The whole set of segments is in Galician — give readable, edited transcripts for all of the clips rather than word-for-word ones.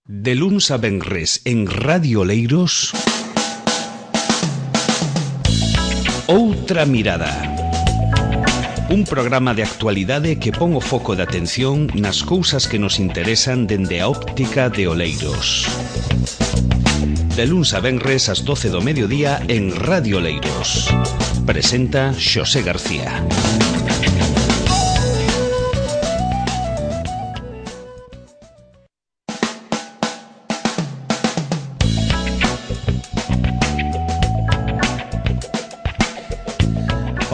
De luns a venres en Radio Oleiros, Outra Mirada. Un programa de actualidade que pon o foco de atención nas cousas que nos interesan dende a óptica de Oleiros. De luns a venres ás 12 do mediodía en Radio Oleiros. Presenta Xosé García.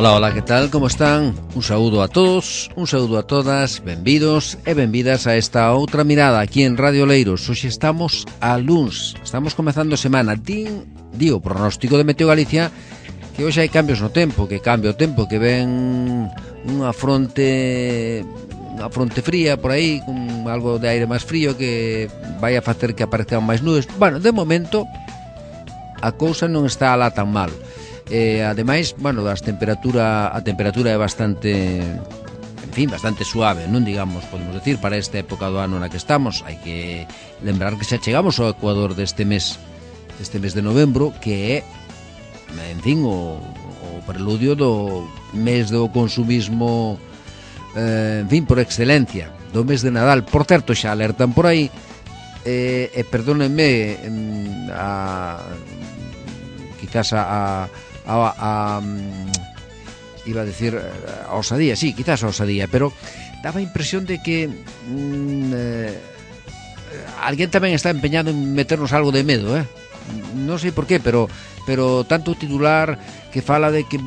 Ola, que tal? Como están? Un saúdo a todos, un saúdo a todas, benvidos e benvidas a esta outra mirada aquí en Radio Oleiros. Hoxe estamos a luns, estamos comezando a semana. Digo, pronóstico de Meteo Galicia que hoxe hai cambios no tempo, que cambia o tempo, que ven unha fronte fría por aí, con algo de aire máis frío que vai a facer que aparezcan máis nubes. Bueno, de momento a cousa non está alá tan mal. Ademais, bueno, a temperatura é bastante, en fin, bastante suave, non digamos, podemos decir, para esta época do ano na que estamos. Hai que lembrar que xa chegamos ao ecuador deste mes de novembro, que é, en fin, o preludio do mes do consumismo, en fin, por excelencia, do mes de Nadal. Por certo, xa alertan por aí, perdónenme, quizás iba a decir a osadía, sí, quizás a osadía, pero daba a impresión de que alguén tamén está empeñado en meternos algo de medo, non sei por qué, pero tanto titular que fala de que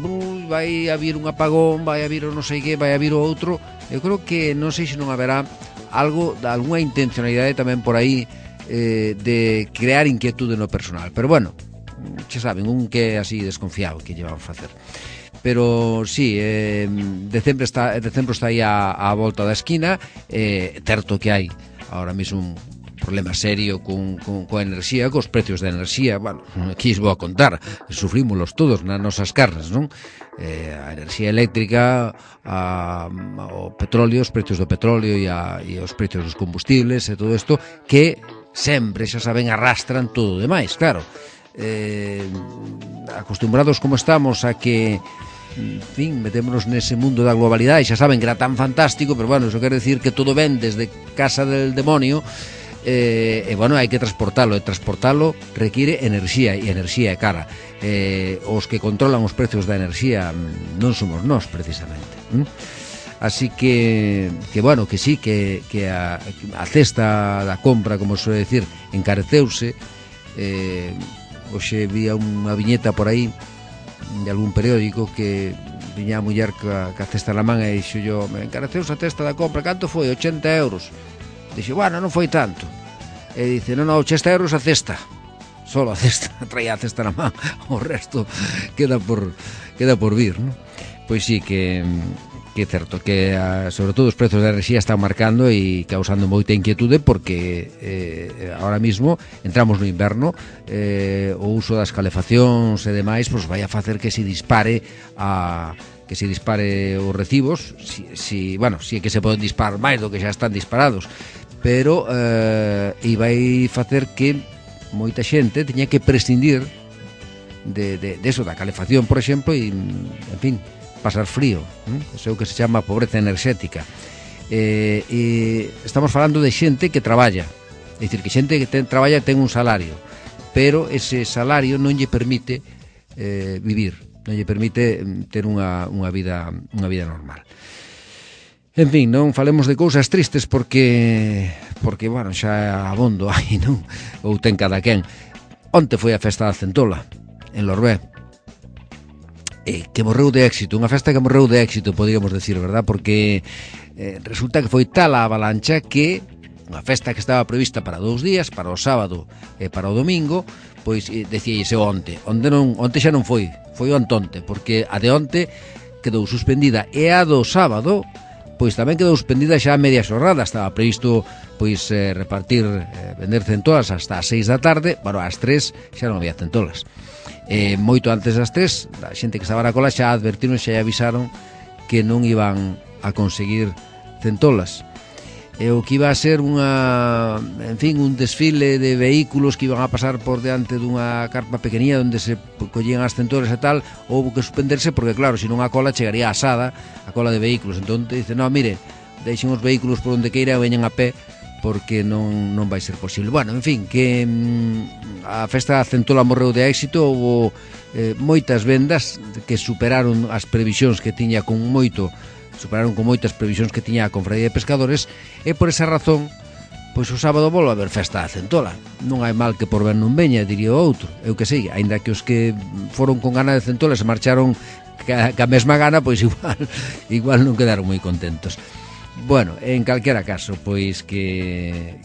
vai a vir un apagón, vai a vir o non sei que, vai a vir o outro. Eu creo que non sei se non haberá algo, algunha intencionalidade tamén por aí, de crear inquietude no personal, pero bueno, xa saben, un que é así desconfiado, que llevamos a facer. Pero sí, decembro está aí a volta da esquina. Certo que hai ahora mesmo un problema serio coa enerxía, cos precios da enerxía. Bueno, aquí os vou a contar, sufrímolos todos nas nosas carnes, non? A enerxía eléctrica, o petróleo, os precios do petróleo e os precios dos combustibles e todo isto, que sempre, xa saben, arrastran todo o demais, claro. Acostumbrados como estamos a que, en fin, metémonos nese mundo da globalidade, xa saben que era tan fantástico, pero bueno, eso quere decir que todo ven desde casa del demonio, e bueno, hai que transportalo, e transportalo require enerxía, e enerxía é cara. Os que controlan os precios da enerxía non somos nós, precisamente. Así que bueno, que sí, que a cesta da compra, como se suele decir, encareceuse. Hoxe vía unha viñeta por aí de algún periódico que viña a muller ca cesta na man e dixo yo, me encareceuse a cesta da compra, canto foi? 80 euros. Dixo, bueno, non foi tanto. E dice, non, 80 euros a cesta, solo a cesta, traía a cesta na man, o resto queda por vir, non? Pois sí, que é certo que sobre todo os prezos da enerxía están marcando e causando moita inquietude, porque ahora mismo entramos no inverno, o uso das calefaccións e demais pois vai a facer que se dispare os recibos, si é que se poden disparar máis do que xa están disparados, pero e vai facer que moita xente teña que prescindir de eso, da calefacción, por exemplo, e, en fin, pasar frío, eso é o que se chama pobreza enerxética. E estamos falando de xente que traballa, é dicir, que xente que traballa ten un salario, pero ese salario non lle permite vivir, non lle permite ter unha vida normal. En fin, non falemos de cousas tristes porque bueno, xa abondo aí, non? Ou ten cada quen. Onte foi a festa da centola en Lorbé, que morreu de éxito, unha festa que morreu de éxito, podríamos decir, verdad? Porque resulta que foi tal a avalancha que unha festa que estaba prevista para 2 días, para o sábado e para o domingo, pois decíase onte xa non foi o antonte, porque a de onte quedou suspendida, e a do sábado pois tamén quedou suspendida xa a media xornada. Estaba previsto pois vender centolas hasta as 6 da tarde, bueno, ás 3 xa non había centolas. Moito antes das 3, a xente que estaba na cola xa advertiron, xa avisaron que non iban a conseguir centolas. O que iba a ser unha, en en fin, un desfile de vehículos que iban a pasar por diante dunha carpa pequenía onde se collían as centolas e tal, houve que suspenderse porque claro, se non a cola chegaría asada, a cola de vehículos. Entón dice, no, mire, deixen os vehículos por onde queira e veñan a pé porque non vai ser posible. Bueno, en fin, que a festa da centola morreu de éxito, houve moitas vendas que superaron as previsións que tiña superaron con moitas previsións que tiña a Confraría de Pescadores, e por esa razón pois o sábado volve a haber festa da centola. Non hai mal que por ben non veña, diría o outro. Eu que sei, aínda que os que foron con gana de centola se marcharon ca mesma gana, pois igual non quedaron moi contentos. Bueno, en calquera caso, pois que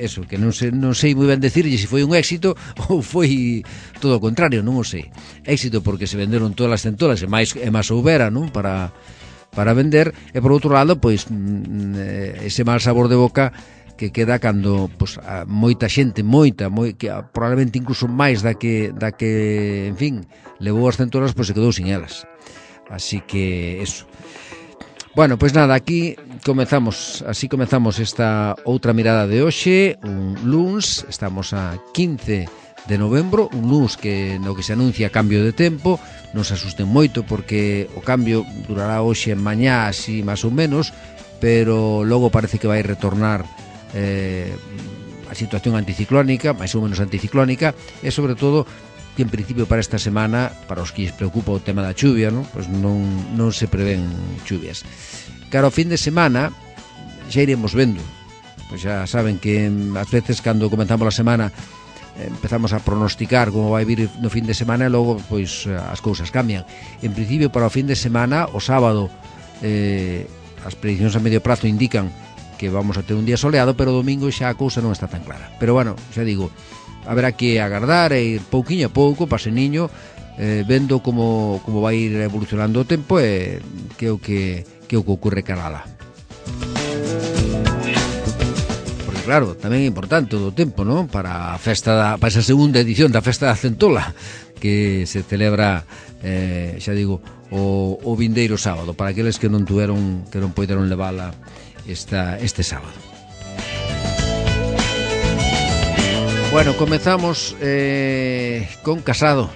eso, que non sei moi ben decirlle se foi un éxito ou foi todo o contrario, non o sei. Éxito porque se venderon todas as centolas e máis houbera, non, para vender, e por outro lado, pois ese mal sabor de boca que queda cando pois, moita xente, que probablemente incluso máis da que en fin, levou as centolas, pois se quedou sin elas. Así que eso. Bueno, pois nada, así comezamos esta outra mirada de hoxe, un luns, estamos a 15 de novembro, un luns no que se anuncia cambio de tempo. Non se asusten moito porque o cambio durará hoxe en mañá, así máis ou menos, pero logo parece que vai retornar a situación anticiclónica, máis ou menos anticiclónica, e sobre todo que en principio para esta semana, para os que lles preocupa o tema da chuvia, non? Pois non se prevén chuvias. Cara ao fin de semana xa iremos vendo. Pois xa saben que ás veces cando comenzamos a semana empezamos a pronosticar como vai vir no fin de semana e logo pois as cousas cambian. En principio para o fin de semana, o sábado as prediccións a medio prazo indican que vamos a ter un día soleado, pero o domingo xa a cousa non está tan clara. Pero bueno, xa digo, haberá que agardar e ir pouquiño a pouco, paseniño, vendo como vai ir evolucionando o tempo e que o que ocorre carala. Porque claro, tamén é importante o tempo, non? Para esa segunda edición da Festa da Centola que se celebra, xa digo, o vindeiro sábado, para aqueles que non poideron levala este sábado. Bueno, comezamos con Casado.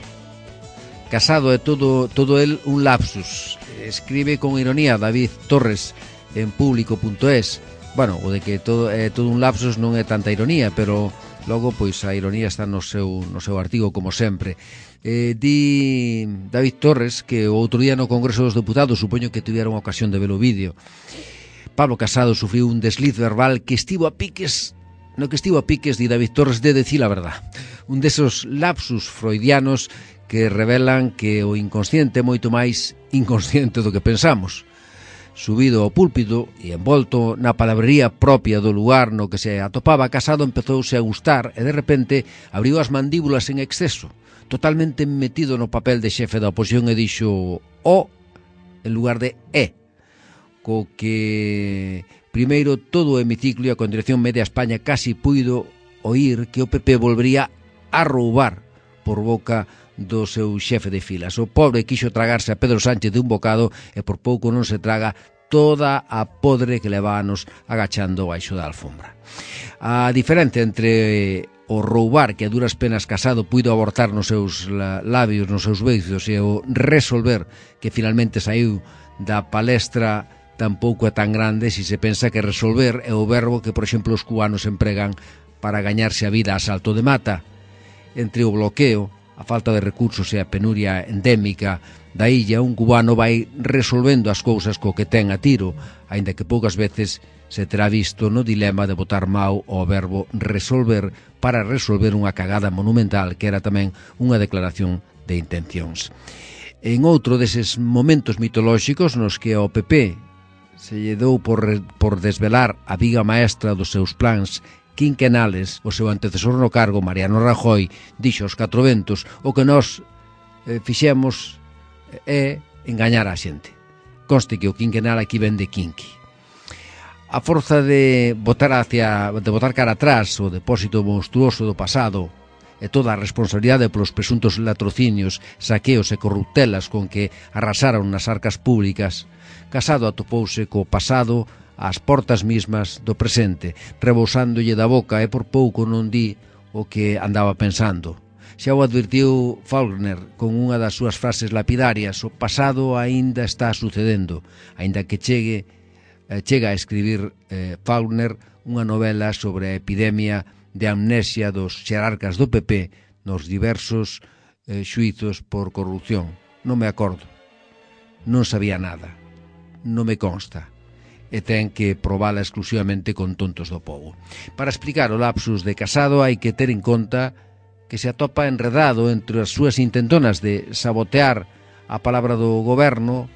Casado é todo el un lapsus. Escribe con ironía David Torres en público.es. Bueno, o de que todo un lapsus non é tanta ironía, pero logo pois a ironía está no seu artigo como sempre. Di David Torres que o outro día no Congreso dos Deputados, supoño que tiveron ocasión de ver o vídeo, Pablo Casado sufriu un desliz verbal que estivo a piques, di David Torres, de decir a verdad. Un desos lapsus freudianos que revelan que o inconsciente é moito máis inconsciente do que pensamos. Subido ao púlpito e envolto na palabrería propia do lugar no que se atopaba, Casado empezouse a gustar e de repente abriu as mandíbulas en exceso, totalmente metido no papel de xefe da oposición, e dixo o en lugar de co que primeiro todo o hemiciclo e a Condición Media España casi puido oír que o PP volvería a roubar por boca do seu xefe de filas. O pobre quixo tragarse a Pedro Sánchez de un bocado e por pouco non se traga toda a podre que levábanos agachando baixo da alfombra. A diferencia entre o roubar que a duras penas Casado puido abortar nos seus labios, nos seus beizos, e o resolver que finalmente saiu da palestra tampouco é tan grande se se pensa que resolver é o verbo que, por exemplo, os cubanos empregan para gañarse a vida a salto de mata. Entre o bloqueo, a falta de recursos e a penuria endémica da illa, un cubano vai resolvendo as cousas co que ten a tiro, aínda que poucas veces se terá visto no dilema de botar mau ao verbo resolver para resolver unha cagada monumental que era tamén unha declaración de intencións. En outro deses momentos mitolóxicos nos que ao PP se lle dou por desvelar a viga maestra dos seus plans quinquenales, o seu antecesor no cargo, Mariano Rajoy, dixo aos 4 ventos: o que nós fixemos é engañar a xente. Conste que o quinquenal aquí vende quinqui. A forza de botar cara atrás o depósito monstruoso do pasado e toda a responsabilidade polos presuntos latrocinios, saqueos e corruptelas con que arrasaron nas arcas públicas, Casado atopouse co pasado ás portas mismas do presente, rebosándolle da boca e por pouco non di o que andaba pensando. Xa o advirtiu Faulkner con unha das súas frases lapidarias: o pasado aínda está sucedendo, aínda que chega a escribir Faulkner unha novela sobre a epidemia de amnesia dos xerarcas do PP nos diversos xuizos por corrupción. Non me acordo, non sabía nada, non me consta, e ten que probala exclusivamente con tontos do pobo. Para explicar o lapsus de Casado hai que ter en conta que se atopa enredado entre as súas intentonas de sabotear a palabra do goberno,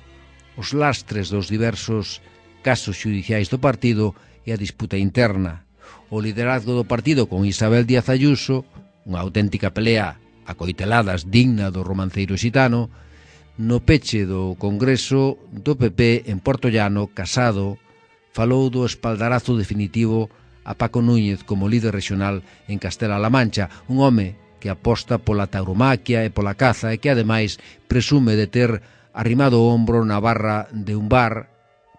os lastres dos diversos casos xudiciais do partido e a disputa interna, o liderazgo do partido con Isabel Díaz Ayuso, unha auténtica pelea a coiteladas digna do romanceiro xitano. No peche do Congreso do PP en Portollano, Casado falou do espaldarazo definitivo a Paco Núñez como líder regional en Castela-La Mancha, un home que aposta pola tauromaquia e pola caza e que ademais presume de ter arrimado o ombro na barra de un bar,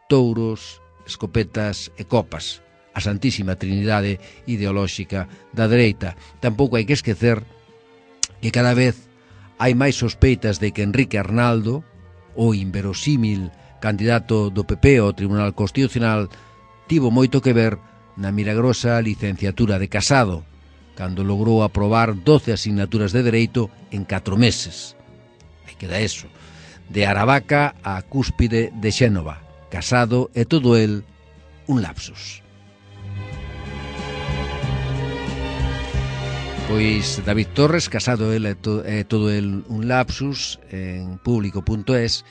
touros, escopetas e copas, a santísima trinidade ideolóxica da dereita. Tampouco hai que esquecer que cada vez hai máis sospeitas de que Enrique Arnaldo, o inverosímil candidato do PP ao Tribunal Constitucional, tivo moito que ver na milagrosa licenciatura de Casado, cando logrou aprobar 12 asignaturas de dereito en 4 meses. Aí queda eso. De Aravaca á cúspide de Xénova. Casado e todo el un lapsus. Pois David Torres, Casado el e todo el un lapsus en público.es,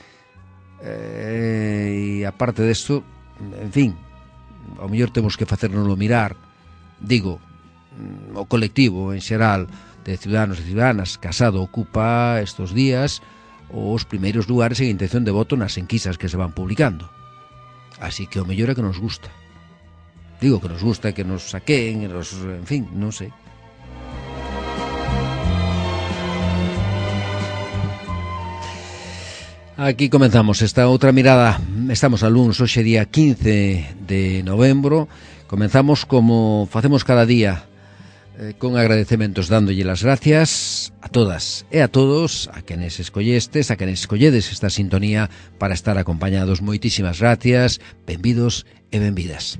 e aparte desto, en fin, ao mellor temos que facérnoslo mirar. Digo, o colectivo en xeral de ciudadanos e ciudadanas. Casado ocupa estos días os primeiros lugares en intención de voto nas enquisas que se van publicando, así que o mellor é que nos gusta. Digo que nos gusta, que nos saqueen, en fin, non sei. Aquí comenzamos esta outra mirada. Estamos a luns, hoxe día 15 de novembro. Comenzamos como facemos cada día, con agradecementos, dándolle las gracias a todas e a todos, a quenes escolledes esta sintonía para estar acompañados. Moitísimas gracias, benvidos e benvidas.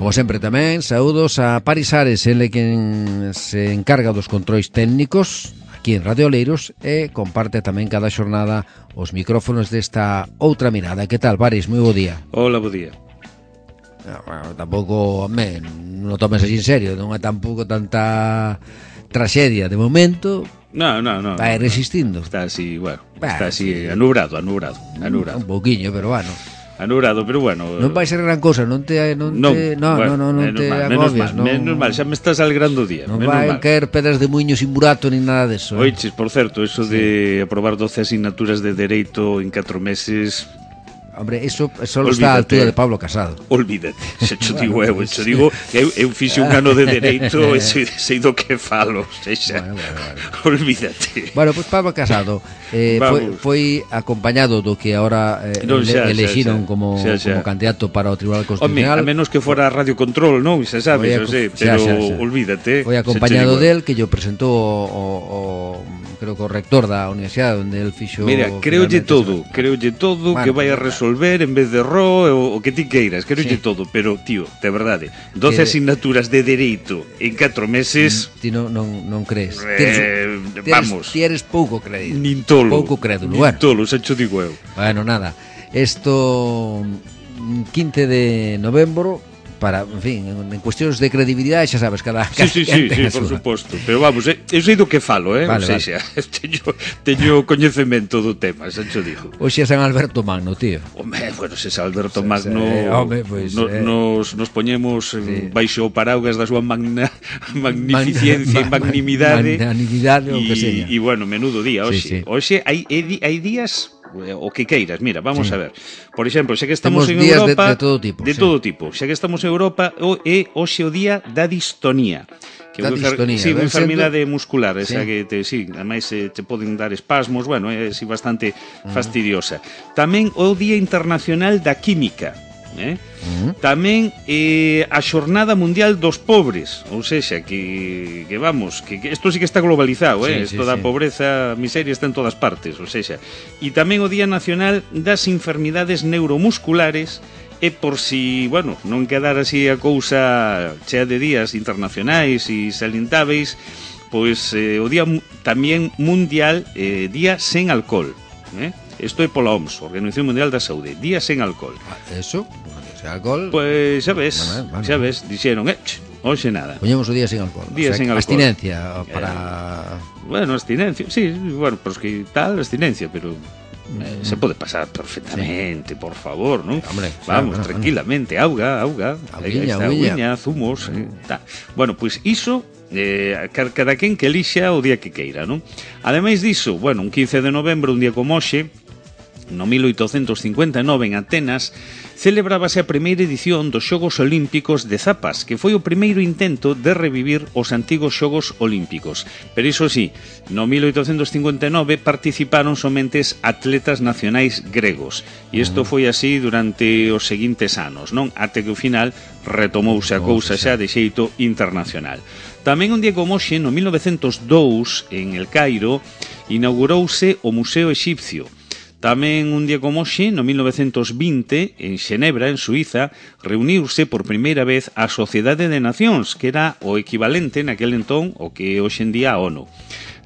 Como sempre tamén, saúdos a Paris Ares, ele quen se encarga dos controis técnicos aquí en Radio Oleiros e comparte tamén cada xornada os micrófonos desta outra mirada. Que tal, Paris? Moi bo día. Hola, bo día. Bueno, tampouco, non o tomes así en serio, non é tampouco tanta traxedia de momento. No. Vai resistindo. Está así, bueno, está así anubrado. Un pouquiño, pero bueno. Anubrado, pero bueno. Non vai ser gran cousa, non te agobies, non. Menos mal, xa me estás alegrando o día. Non vai caer pedras de muiño sin burato ni nada deso. Oiches, por certo, eso de aprobar 12 asignaturas de dereito en 4 meses. Hombre, eso solo está a altura de Pablo Casado. Olvídate, se cho digo que eu fixe un ano de dereito e sei do que falo, sexa. Olvídate. Bueno, pois Pablo Casado foi acompañado do que agora elexiron como candidato para o Tribunal Constitucional. A menos que fora Radio Control, non? Xa sabes, pero olvídate. Foi acompañado del, que yo presentou o creo que o rector da universidade onde el fixo. Mira, creolle todo, bueno, que vai a resolver en vez de o que ti queiras, creolle todo, pero tío, de verdade, 12 asignaturas de dereito en 4 meses. Ti non crees. Vamos. Ti eres pouco crédulo. Nin tolo. Pouco crédulo. Nin tolo, xa cho digo eu. Bueno, nada. Esto 15 de novembro, para, en fin, en cuestións de credibilidade, xa sabes, cada sí, por suposto, pero vamos, eu sei do que falo, vale, xa, teño coñecemento do tema, xa cho digo. Hoxe é San Alberto Magno, tío. Home, bueno, se San Alberto Magno nos poñemos baixo o paraugas da súa magnificencia e magnimidade, o que seña. E bueno, menudo día hoxe. Hoxe hai días o que queiras. Mira, vamos a ver. Por exemplo, xa que estamos en Europa, de todo tipo. Xa que estamos en Europa, é hoxe o día da distonía, da distonía. Sí, unha enfermidade muscular, esa que ademais te poden dar espasmos, bueno, é bastante fastidiosa. Tamén o Día Internacional da Química, tamén a Xornada Mundial dos Pobres, ou seja, que vamos, que isto sí que está globalizado, isto da pobreza, a miseria está en todas partes, ou seja, e tamén o Día Nacional das Enfermidades Neuromusculares, e por si, bueno, non quedar así a cousa chea de días internacionais e salientáveis, pois o Día tamén Mundial, Día Sen Alcohol, isto é pola OMS, Organización Mundial da Saúde, Día Sen Alcohol. Eso, sen alcohol. Pois xa ves, dixeron, hoxe nada. Poñemos o día sen alcohol. Día sen alcohol. Abstinencia para... Bueno, abstinencia, sí, bueno, pues que tal abstinencia, pero se pode pasar perfectamente, por favor, non? Hombre, vamos, tranquilamente, auga, auguiña, zumos, Bueno, pois iso cada quen que elixa o día que queira, non? Ademais diso, bueno, un 15 de novembro, un día como hoxe, no 1859 en Atenas, celebrábase a primeira edición dos Xogos Olímpicos de Zapas, que foi o primeiro intento de revivir os antigos Xogos Olímpicos. Pero iso sí, no 1859 participaron somente atletas nacionais gregos, e isto foi así durante os seguintes anos, non? Até que ao final retomouse a cousa xa de xeito internacional. Tamén un día como hoxe, no 1902, en El Cairo, inaugurouse o Museo Exipcio. Tamén un día como hoxe, no 1920, en Xenebra, en Suiza, reuniuse por primeira vez a Sociedade de Nacións, que era o equivalente naquel entón o que hoxe en día a ONU.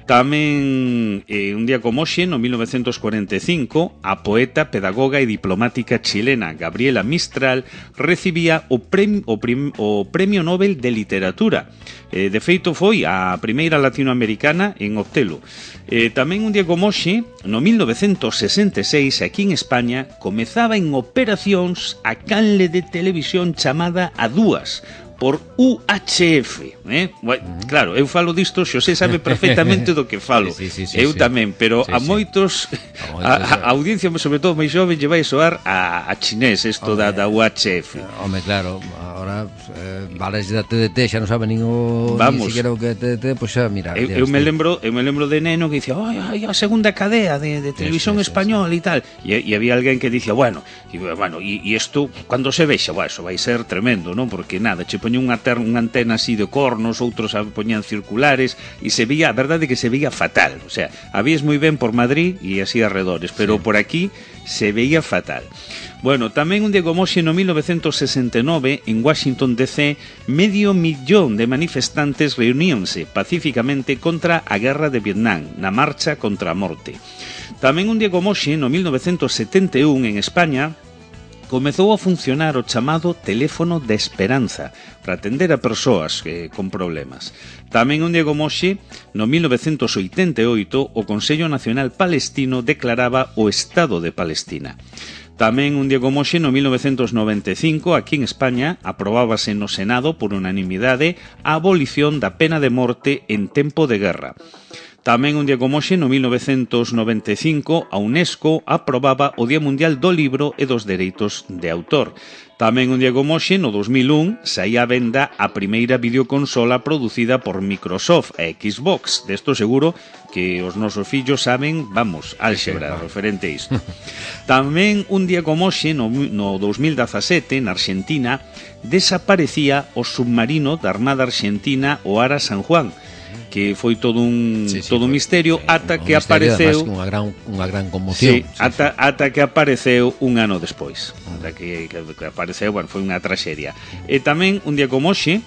Tamén un día como hoxe, no 1945, a poeta, pedagoga e diplomática chilena Gabriela Mistral recibía o Premio Nobel de Literatura. De feito, foi a primeira latinoamericana en obtelo. Tamén un día como hoxe, no 1966, aquí en España, comezaba en operacións a canle de televisión chamada A Dúas, por UHF, Claro, eu falo disto, Xosé sabe perfectamente do que falo. Eu tamén, pero a moitos a audiencia, sobre todo máis xove, lle vai soar a chinés isto da UHF. Home, claro, agora vales da TDT, xa non sabe nin siquiera o que é TDT, pois xa, mira. Eu me lembro de neno que dicía, ai, a segunda cadea de televisión española e tal, e había alguén que dicía, bueno, e isto, cando se vexa, eso vai ser tremendo, non? Porque nada, che poñía unha antena así de cornos, outros a poñían circulares, e se veía, a verdade é que se veía fatal, o sea, habías moi ben por Madrid e así arredores, pero por aquí se veía fatal. Bueno, tamén un día como hoxe, no 1969, en Washington DC, 500,000 de manifestantes reuníanse pacíficamente contra a guerra de Vietnam, na marcha contra a morte. Tamén un día como hoxe, no 1971, en España, comezou a funcionar o chamado teléfono de esperanza para atender a persoas con problemas. Tamén un día como hoxe, no 1988, o Consello Nacional Palestino declaraba o Estado de Palestina. Tamén un día como hoxe, no 1995, aquí en España, aprobábase no Senado por unanimidade a abolición da pena de morte en tempo de guerra. Tamén un día como hoxe, no 1995, a UNESCO aprobaba o Día Mundial do Libro e dos Dereitos de Autor. Tamén un día como hoxe, no 2001, saía a venda a primeira videoconsola producida por Microsoft, a Xbox. Desto seguro que os nosos fillos saben, vamos, álxebra, referente a isto. Tamén un día como hoxe, no 2017, na Argentina, desaparecía o submarino da Armada Argentina, o Ara San Juan, que foi todo un misterio ata que apareceu unha gran conmoción. Ata que apareceu un ano despois. Ata que apareceu, bueno, foi unha traxedia. E tamén un día como hoxe,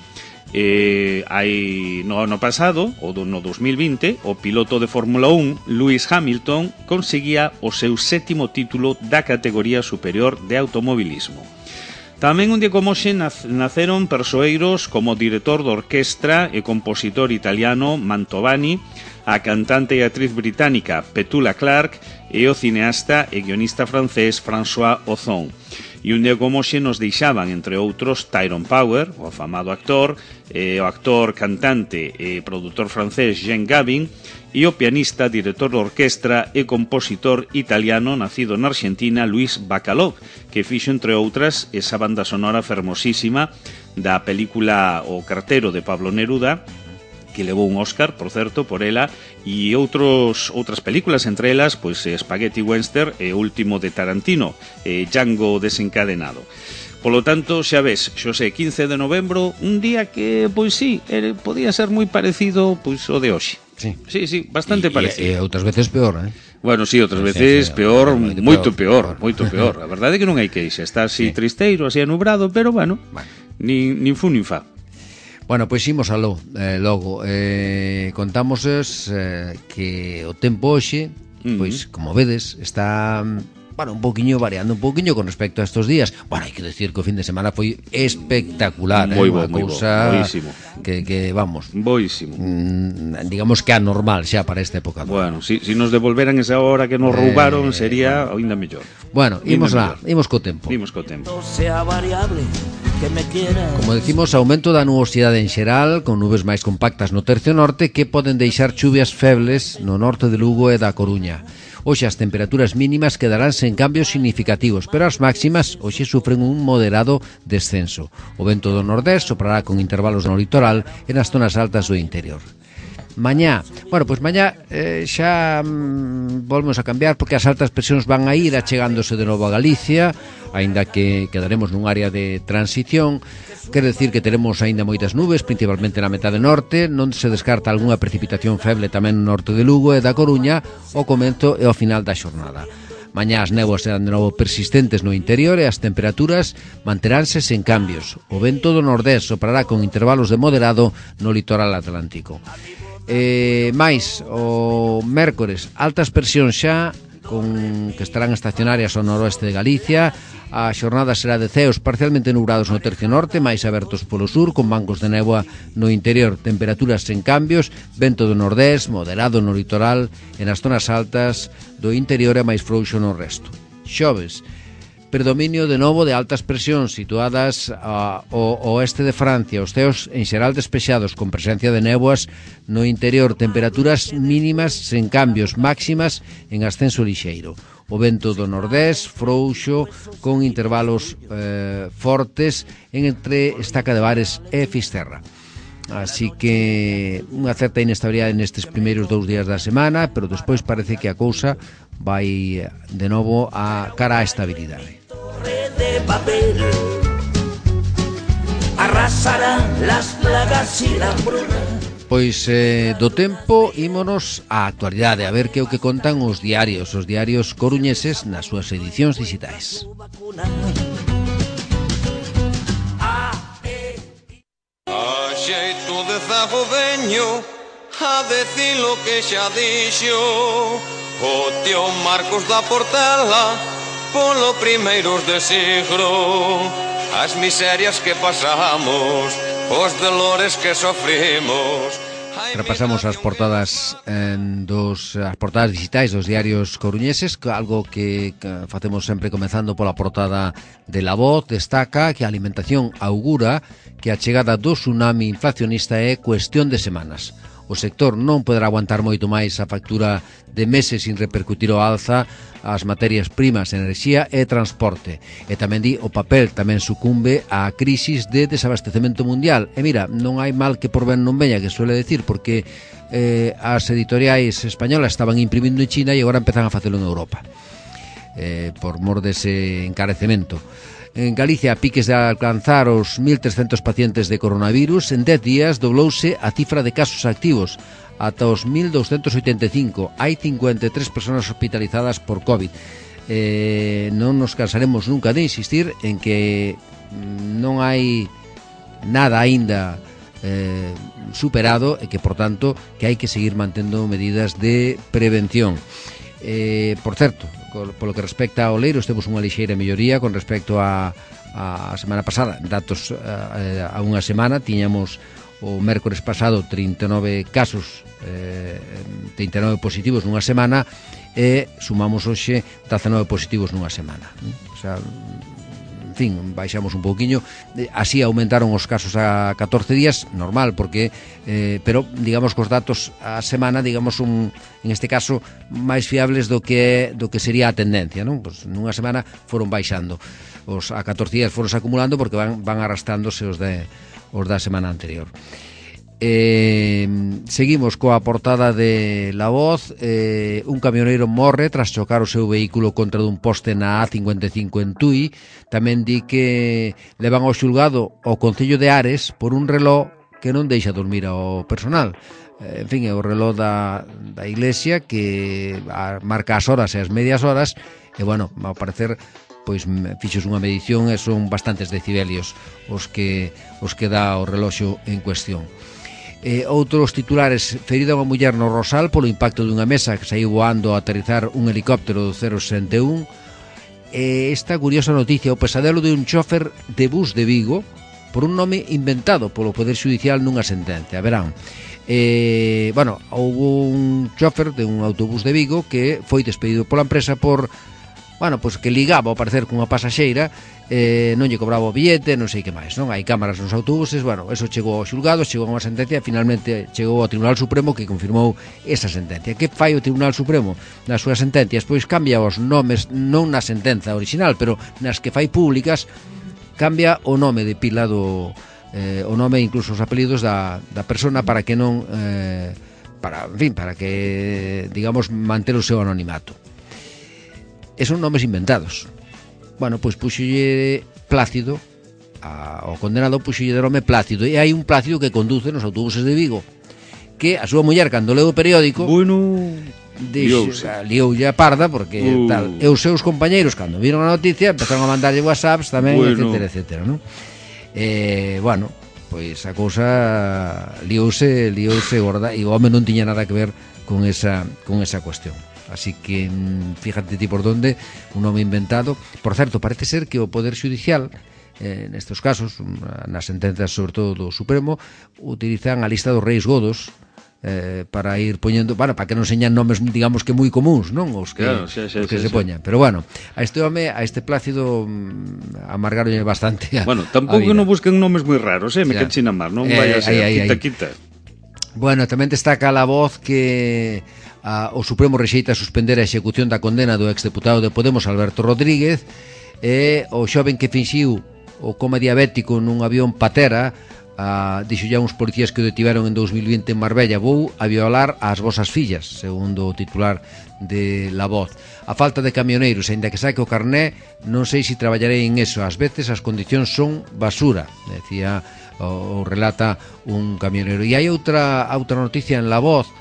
no ano pasado, no 2020, o piloto de Fórmula 1, Lewis Hamilton, conseguía o seu 7º título da categoría superior de automobilismo. Tamén un día como hoxe naceron persoeiros como o director de orquestra e compositor italiano Mantovani, a cantante e actriz británica Petula Clark e o cineasta e guionista francés François Ozon. E un día como hoxe nos deixaban, entre outros, Tyrone Power, o afamado actor, o actor, cantante e produtor francés Jean Gabin, e o pianista, director de orquestra e compositor italiano nacido na Argentina, Luis Bacalov, que fixo, entre outras, esa banda sonora fermosísima da película O cartero de Pablo Neruda, que levou un Óscar, por certo, por ela, e outras películas, entre elas, pois Spaghetti Western e o último de Tarantino, Django desencadenado. Polo tanto, xa ves, Xosé, 15 de novembro, un día que, pois sí, podía ser moi parecido pois o de hoxe. Sí, bastante parecido. E outras veces peor, Bueno, sí, outras veces peor, moito peor. A verdade é que non hai queixa, está así tristeiro, así anubrado, pero bueno, nin fu nin fa. Bueno, pois imos aló, logo contamos que o tempo hoxe, pois como vedes, está un pouquiño variando un pouquiño con respecto a estos días. Bueno, hai que decir que o fin de semana foi espectacular, moi boísimo. Que vamos, boísimo. Digamos que anormal xa para esta época. Bueno, si nos devolveran esa hora que nos roubaron sería ainda mellor. Bueno, imos co tempo. Sea variable. Como decimos, aumento da nubosidade en xeral, con nubes máis compactas no tercio norte que poden deixar chuvias febles no norte de Lugo e da Coruña. Hoxe as temperaturas mínimas quedarán sen cambios significativos, pero as máximas hoxe sufren un moderado descenso. O vento do nordés soprará con intervalos no litoral e nas zonas altas do interior. Mañá xa volvemos a cambiar porque as altas presións van a ir achegándose de novo a Galicia, aínda que quedaremos nun área de transición. Quer decir que teremos aínda moitas nubes, principalmente na metade norte, non se descarta algunha precipitación feble tamén no norte de Lugo e da Coruña ao comezo e ao final da xornada. Mañá as néboas serán de novo persistentes no interior e as temperaturas manteránse sen cambios. O vento do nordés soprará con intervalos de moderado no litoral atlántico. Mais o mércores, altas presións xa que estarán estacionarias ao noroeste de Galicia. A xornada será de ceos parcialmente nubrados no tercio norte, máis abertos polo sur, con bancos de néboa no interior. Temperaturas sen cambios, vento do nordés, moderado no litoral e nas zonas altas do interior e máis frouxo no resto. Xoves, predominio de novo de altas presións situadas ao oeste de Francia, os ceos en xeral despexados con presencia de néboas no interior, temperaturas mínimas sen cambios, máximas en ascenso lixeiro. O vento do nordés frouxo con intervalos fortes entre Estaca de Bares e Fisterra. Así que unha certa inestabilidade nestes primeiros 2 días da semana, pero despois parece que a cousa vai de novo a cara á estabilidade. De papel arrasarán las plagas y la hambruna. Pois do tempo ímonos á actualidade, a ver que é o que contan os diarios coruñeses nas súas edicións digitais. A xeito de zago veño a decir lo que xa dixo o tío Marcos da Portela polo primeiros de siglo, as miserias que pasamos, os dolores que sofrimos. Repasamos as portadas as portadas digitais dos diarios coruñeses, algo que facemos sempre comezando pola portada de La Voz. Destaca que a alimentación augura que a chegada do tsunami inflacionista é cuestión de semanas. O sector non poderá aguantar moito máis a factura de meses sin repercutir o alza as materias primas, enerxía e transporte. E tamén di o papel tamén sucumbe á crisis de desabastecemento mundial. E mira, non hai mal que por ben non veña, que suele decir, porque as editoriais españolas estaban imprimindo en China e agora empezan a facelo en Europa, por mor dese encarecemento. En Galicia, a piques de alcanzar os 1.300 pacientes de coronavirus, en 10 días doblouse a cifra de casos activos ata os 1.285. Hai 53 persoas hospitalizadas por COVID. Non nos cansaremos nunca de insistir en que non hai nada aínda superado e que, por tanto, que hai que seguir mantendo medidas de prevención. Por certo, polo que respecta ao leiro, temos unha lixeira melloría con respecto a semana pasada. Datos a unha semana, tiñamos o mércores pasado 39 casos, 39 positivos nunha semana, e sumamos hoxe 19 positivos nunha semana. O sea, en fin, baixamos un pouquiño. Así aumentaron os casos a 14 días, normal, porque pero digamos que os datos a semana, digamos, en este caso máis fiables do que sería a tendencia, non? Pois nunha semana foron baixando. Os a 14 días foron acumulando porque van arrastrándose os da semana anterior. Seguimos coa portada de La Voz. Un camioneiro morre tras chocar o seu vehículo contra dun poste na A55 en Tui. Tamén di que levan ao xulgado ao Concello de Ares por un reloj que non deixa dormir ao personal. En fin, é o reloj da iglesia que marca as horas e as medias horas, e bueno, ao parecer pois fixos unha medición e son bastantes decibelios os que dá o reloxo en cuestión. Outros titulares: ferida unha muller no Rosal polo impacto dunha mesa que saiu voando a aterrizar un helicóptero do 061. Esta curiosa noticia: o pesadelo de un chofer de bus de Vigo por un nome inventado polo Poder Xudicial nunha sentencia. Verán, bueno, houve un chofer de un autobús de Vigo que foi despedido pola empresa por, bueno, pois que ligaba ao parecer cunha pasaxeira, non lle cobraba o billete, non sei que máis, non? Hai cámaras nos autobuses, bueno, eso chegou ao xulgado, chegou a unha sentencia e finalmente chegou ao Tribunal Supremo, que confirmou esa sentencia. Que fai o Tribunal Supremo nas súas sentencias? Pois cambia os nomes, non na sentenza original, pero nas que fai públicas, cambia o nome de pila do o nome, incluso os apelidos da persona, para que non para que, digamos, manter o seu anonimato. E son nomes inventados. Bueno, pois puxolle Plácido ao condenado, puxolle de nome Plácido, e hai un Plácido que conduce nos autobuses de Vigo, que a súa muller, cando leu o periódico, bueno, lioulle a parda, porque tal, e os seus compañeiros, cando viron a noticia, empezaron a mandarlle whatsapps tamén, bueno, etcétera, non? Bueno, pois a cousa liouse gorda, e o home non tiña nada que ver con esa cuestión. Así que fíjate ti por donde, un nome inventado. Por certo, parece ser que o Poder Xudicial, nestes casos, nas sentencias sobre todo do Supremo, utilizan a lista dos reis godos para ir poñendo, bueno, para que non señan nomes, digamos, que moi comuns, non? Os que, claro, se poñan. Pero bueno, a este home, a este Plácido, amargaronlle bastante bueno, tampouco non busquen nomes moi raros, me quechen a mar, non vai a ser quita. Bueno, tamén destaca La Voz que o Supremo rexeita suspender a execución da condena do exdeputado de Podemos, Alberto Rodríguez, e o xoven que finxiu o coma diabético nun avión patera, dixo ya uns policías que o detiveron en 2020 en Marbella: vou a violar as vosas fillas, segundo o titular de La Voz. A falta de camioneiros, aínda que saque o carné, non sei se traballarei en eso, ás veces as condicións son basura, decía, o relata un camioneiro. E hai outra noticia en La Voz,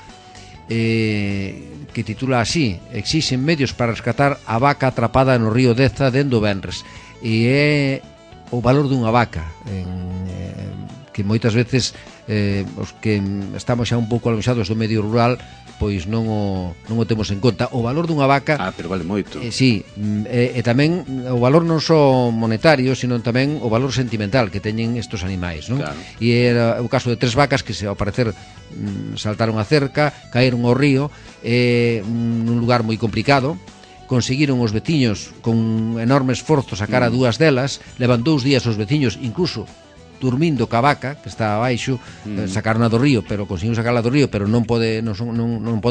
que titula así: exixen medios para rescatar a vaca atrapada no río Deza dende o venres. E é o valor dunha vaca, que moitas veces os que estamos xa un pouco aloxados do medio rural pois non o temos en conta. O valor dunha vaca, pero vale moito. Sí, e tamén o valor non só monetario, sino tamén o valor sentimental que teñen estos animais, non? Claro. E era o caso de 3 vacas que, ao parecer, saltaron a cerca, caeron ao río, nun lugar moi complicado. Conseguiron os veciños con enorme esforzo sacar a 2 delas. Levan 2 días os veciños, incluso dormindo ca vaca que está abaixo, sacaron do río, pero conseguiron sacarla do río, pero non pode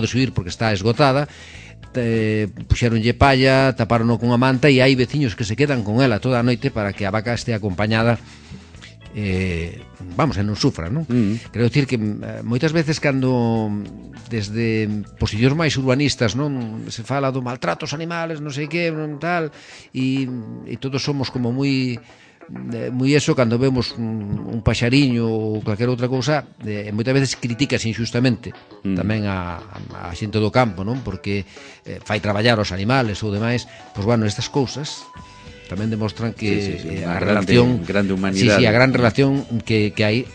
subir porque está esgotada. Puxeronlle palla, taparono con a manta, e hai veciños que se quedan con ela toda a noite para que a vaca este acompañada, vamos, e non sufra, non? Quero dicir que moitas veces, cando desde posicións máis urbanistas, non, se fala do maltrato aos animales, non sei que, non tal, e todos somos como moi eso, cando vemos un paxariño ou calquera outra cousa, moitas veces criticas injustamente tamén a xente do campo, non? Porque fai traballar os animales ou demais. Pois bueno, estas cousas tamén demostran que a relación grande humanidade, a gran relación que hai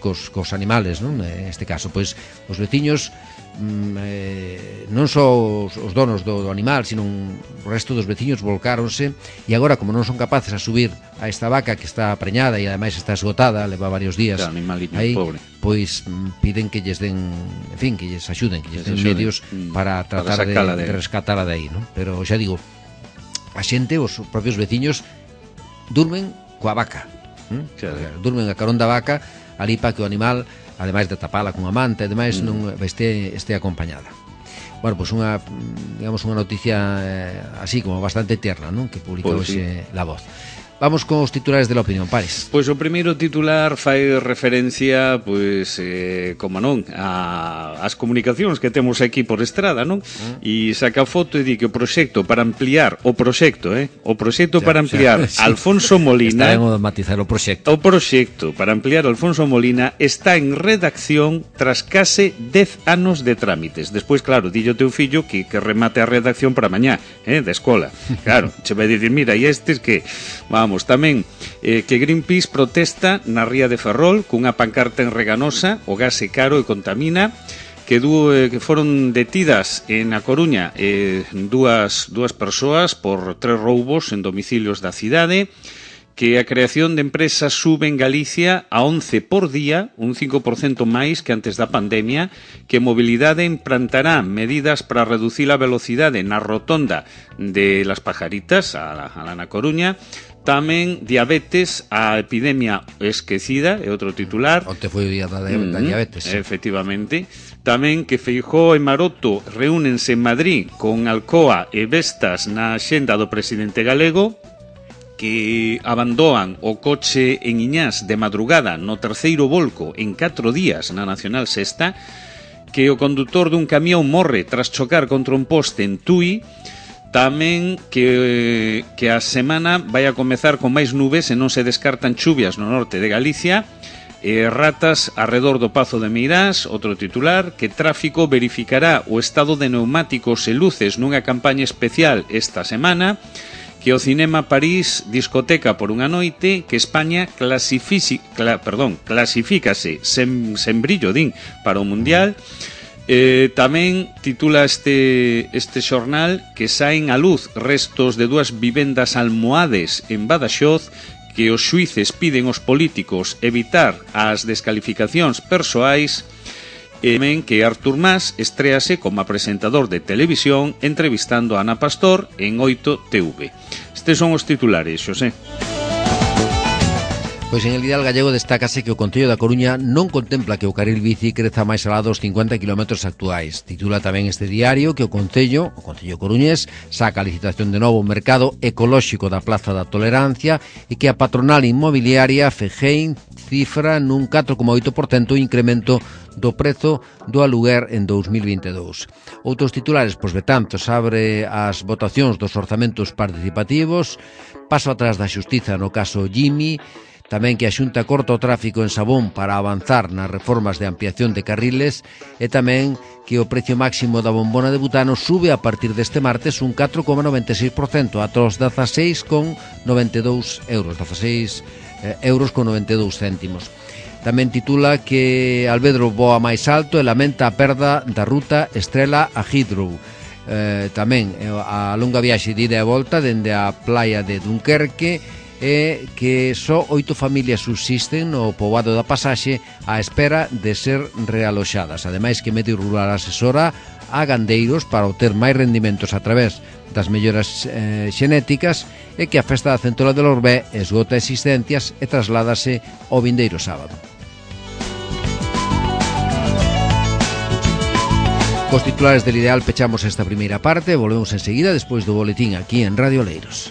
cos animales, non? Neste caso, pois os veciños, non só os donos do animal, sino o resto dos veciños volcáronse, e agora, como non son capaces a subir a esta vaca que está preñada e ademais está esgotada, leva varios días aí, pois piden que lles den, en fin, que lles axuden, que lles den medios para tratar de rescatala de aí, non? Pero xa digo, a xente, os propios veciños, durmen coa vaca, durmen a carón da vaca ali para que o animal, ademais de tapala cunha manta e demais, non este acompañada. Bueno, pois unha noticia así como bastante tierna, non? Que publica hoxe La Voz. Vamos con os titulares de la opinión, Pares. Pois o primeiro titular fai referencia, pois, como non, ás comunicacións que temos aquí por estrada, non? E saca foto e di que o proxecto para ampliar o proxecto para ampliar sí. Alfonso Molina. Está ben o de matizar o proxecto. O proxecto para ampliar Alfonso Molina está en redacción tras case 10 anos de trámites. Despois, claro, dillo teu fillo que remate a redacción para mañá, da escola. Claro, che vai dicir, mira, e estes que... Vamos, tamén que Greenpeace protesta na ría de Ferrol cunha pancarta en Reganosa, o gas é caro e contamina, que foron detidas en A Coruña dúas persoas por 3 roubos en domicilios da cidade, que a creación de empresas sube en Galicia a 11 por día, un 5% máis que antes da pandemia, que Mobilidade implantará medidas para reducir a velocidade na rotonda de Las Pajaritas, a la Coruña. Tamén diabetes, a epidemia esquecida, é outro titular. Onte foi o día da diabetes. Efectivamente. Tamén que Feijóo e Maroto reúnense en Madrid con Alcoa e Vestas na axenda do presidente galego, que abandoan o coche en Iñás de madrugada no terceiro volco en 4 días na Nacional Sexta, que o condutor dun camión morre tras chocar contra un poste en Tui. Tamén que a semana vai a comezar con máis nubes e non se descartan chuvias no norte de Galicia. Ratas arredor do Pazo de Meirás, outro titular, que Tráfico verificará o estado de neumáticos e luces nunha campaña especial esta semana, que o Cinema París discoteca por unha noite, que España clasifícase sen brillo, din, para o Mundial. Tamén titula este xornal que saen a luz restos de 2 vivendas almohades en Badaxoz, que os xuíces piden aos políticos evitar as descalificacións persoais, e tamén que Artur Mas estréase como presentador de televisión entrevistando a Ana Pastor en 8TV. Estes son os titulares, Xosé. Pois en el Ideal Gallego destácase que o Concello da Coruña non contempla que o carril bici creza máis alá dos 50 km actuais. Titula tamén este diario que o Concello coruñés, saca a licitación de novo o mercado ecolóxico da Plaza da Tolerancia e que a patronal inmobiliaria Fegein cifra nun 4,8% o incremento do prezo do aluguer en 2022. Outros titulares, pois Betanzos abre as votacións dos orzamentos participativos, paso atrás da xustiza no caso Jimmy, tamén que a Xunta corta o tráfico en Sabón para avanzar nas reformas de ampliación de carriles e tamén que o precio máximo da bombona de butano sube a partir deste martes un 4,96% ata os 16,92 euros, 16 euros con 92 céntimos. Tamén titula que Albedro voa máis alto e lamenta a perda da ruta Estrela a Heathrow. Tamén a longa viaxe de ida e volta dende a playa de Dunkerque e que só 8 familias subsisten no poboado da Pasaxe á espera de ser realoxadas. Ademais que Medio Rural asesora a gandeiros para obter máis rendimentos a través das melloras xenéticas e que a festa da Centola de Lorbé esgota existencias e trasládase ao vindeiro sábado. Cos titulares del Ideal pechamos esta primeira parte, volvemos enseguida despois do boletín aquí en Radio Oleiros.